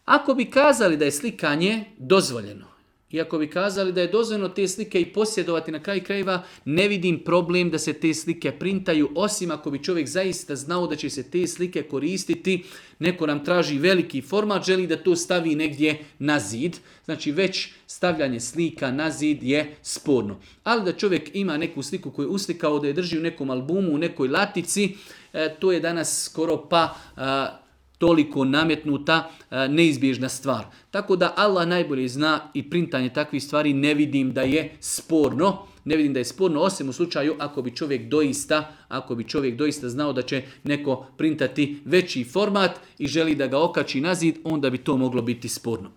Ako bi kazali da je slikanje dozvoljeno, i ako bi kazali da je dozvoljeno te slike i posjedovati na kraju krajeva, ne vidim problem da se te slike printaju, osim ako bi čovjek zaista znao da će se te slike koristiti. Neko nam traži veliki format, želi da to stavi negdje na zid. Znači već stavljanje slika na zid je sporno. Ali da čovjek ima neku sliku koju je uslikao, da je drži u nekom albumu, u nekoj latici, to je danas skoro pa toliko nametnuta neizbježna stvar. Tako da Allah najbolje zna i printanje takvih stvari ne vidim da je sporno. Ne vidim da je sporno, osim u slučaju ako bi čovjek doista znao da će neko printati veći format i želi da ga okači na zid, onda bi to moglo biti sporno.